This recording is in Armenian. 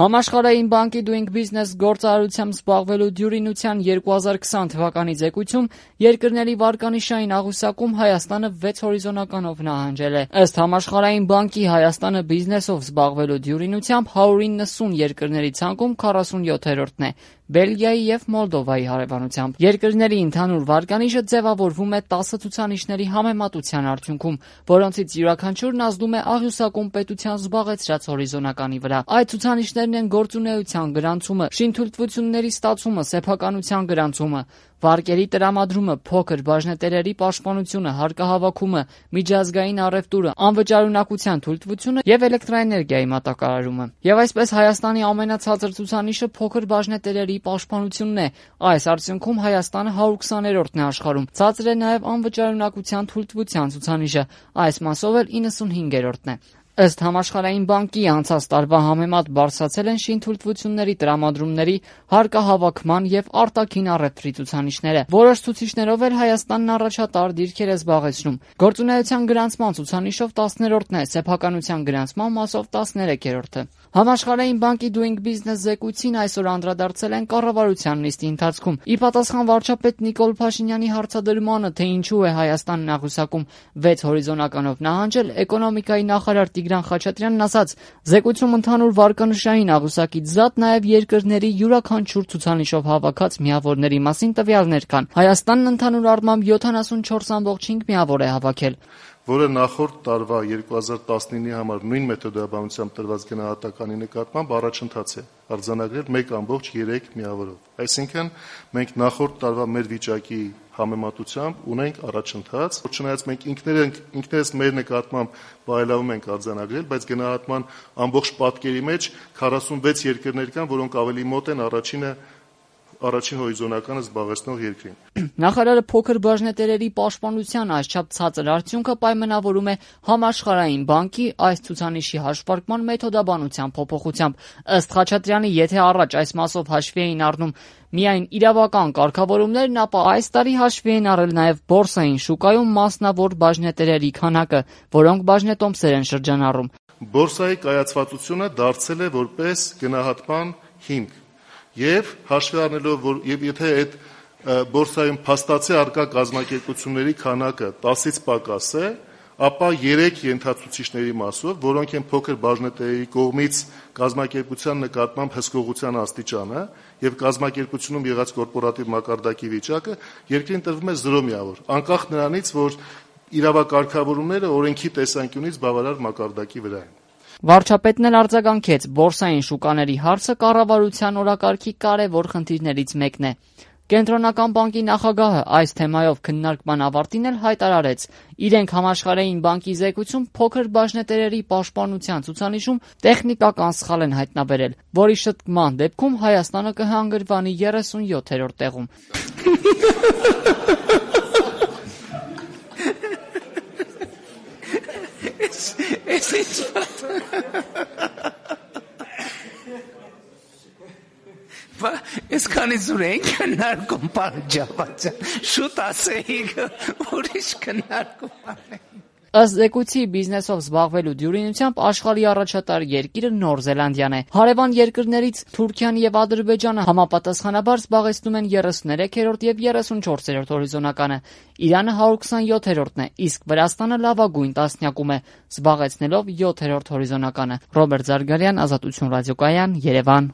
Համաշխարհային բանկի Doing Business գործարարությամբ զբաղվելու դյուրինության 2020 թվականի ձեկույթում երկրների վարկանիշային աղյուսակում Հայաստանը 6 հորիզոնականով նահանջել է։ Ըստ Համաշխարհային բանկի Հայաստանը բիզնեսով զբաղվելու դյուրինությամբ 190 երկրների ցանկում 47-րդն է, Բելգիայի եւ Մոլդովայի հարևանությամբ։ Երկրների ընդհանուր վարկանիշը ձևավորվում է 10 ցուցանիշների համեմատության արդյունքում, որոնցից յուրաքանչյուրն ազդում է աղյուսակում պետության զբաղեցրած հորիզոնականի վրա։ Այդ ցուցանիշներն են գործունեության գրանցումը, շինթույլտվությունների ստացումը, սեփականության գրանցումը, վարկերի տրամադրումը, փոքր բաժնետերերի պաշտպանությունը, հարկահավաքումը, միջազգային առևտուրը, անվճարունակության թույլտվությունը եւ էլեկտրաէներգիայի մատակարարումը։ Եվ այսպես Հայաստանի ամենացածր ցուցանիշը փոքր բաժնետերերի պաշտպանությունն է։ Այս արդյունքում Հայաստանը 120-րդն է աշխարհում։ Ցածր է նաեւ անվճարունակության թույլտվության ցուցանիշը, այս մասով էլ 95-րդն է։ Ըստ Համաշխարհային բանկի անցած տարվա համեմատ բարձրացել են շինթույլտվությունների տրամադրումների, հարկահավաքման եւ արտաքին առևտրի ցուցանիշները։ Որոշ ցուցիչներով էլ Հայաստանն առաջատար դիրքեր է զբաղեցնում։ Գործունեության գրանցման ցուցանիշով 10-րդն է, սեփականության գրանցման մասով 13-րդը։ Համաշխարհային բանկի Doing Business զեկույցին այսօր անդրադարձել են կառավարության նիստի ընթացքում։ Ի պատասխան վարչապետ Նիկոլ Փաշինյանի հարցադրմանը, թե ինչու է Հայաստանն աղյուսակում 6 հորիզոնականով նահանջել, էկոնոմիկայի նախարար Տիգրան Խաչատրյանն ասաց. «Զեկույցում ընդհանուր վարկանիշային աղյուսակից զատ նաև երկրների յուրաքանչյուր ցուցանիշով հավաքած միավորների մասին տվյալներ կան։ Հայաստանն ընդհանուր առմամբ 74.5 միավոր է հավաքել, որը նախորդ տարվա 2019-ի համար նույն մեթոդաբանությամբ տրված գնահատականի նկատմամբ առաջընթաց է արձանագրել 1.3 միավորով։ Այսինքն մենք նախորդ տարվա մեր վիճակի համեմատությամբ ունենք առաջընթաց, չնայած մենք ինքներս մեր նկատմամբ բարելավում ենք արձանագրել, բայց գնահատման ամբողջ պատկերի մեջ 46 երկրներ կան, որոնք ավելի մոտ են առաջին հորիզոնականը զբաղեցնող երկրին»։ Նախարարը փոքր բաժնետերերի պաշտպանության այսչափ ցածր արդյունքը պայմանավորում է Համաշխարհային բանկի այս ցուցանիշի հաշվարկման մեթոդաբանության փոփոխությամբ։ Ըստ Խաչատրյանի, եթե առաջ այս մասով հաշվի էին առնում միայն իրավական կարգավորումներն, ապա այս տարի հաշվի են առել նաև բորսային շուկայում մասնավոր բաժնետերերի քանակը, որոնք բաժնետոմսեր են շրջանառում։ Բորսայի կայացվածությունը դարձել է որպես գնահատման հիմք։ Եվ հաշվի առնելով, որ եթե այդ բորսայում փաստացի առկա կազմակերպությունների քանակը 10-ից պակաս է, ապա 3 ենթացուցիչների մասով, որոնք են փոքր բաժնետերերի կողմից կազմակերպության նկատմամբ հսկողության աստիճանը եւ կազմակերպությունում եղած կորպորատիվ մակարդակի վիճակը, երկրին տրվում է 0 միավոր, անկախ նրանից, որ իրավակարգավորումները օրենքի տեսանկյունից բավարար մակարդակի վրա են։ Վարչապետն էլ արձագանքեց. բորսային շուկաների հարցը կառավարության օրակարգի կարևոր խնդիրներից մեկն է։ Կենտրոնական բանկի նախագահը այս թեմայով քննարկման ավարտին էլ հայտարարեց. իրենք Համաշխարհային բանկի զեկույցում փոքր բաժնետերերի պաշտպանության ցուցանիշում տեխնիկական սխալ են հայտնաբերել, որի շտկման դեպքում Հայաստանը կհանգրվանի 37-րդ տեղում։ Այսքանի զուր են քննարկում պարջավաճա, շուտ ասեիք, ուրիշ քննարկում անեն։ Ըստ զեկույցի բիզնեսով զբաղվելու դյուրինությամբ աշխարհի առաջատար երկիրը Նոր Զելանդիան է։ Հարևան երկրներից Թուրքիան եւ Ադրբեջանը համապատասխանաբար զբաղեցնում են 33-րդ եւ 34-րդ հորիզոնականը։ Իրանը 127-րդն է, իսկ Վրաստանը լավագույն տասնյակում է, զբաղեցնելով 7-րդ հորիզոնականը։ Ռոբերտ Զարգարյան, Ազատություն ռադիոկայան, Երևան։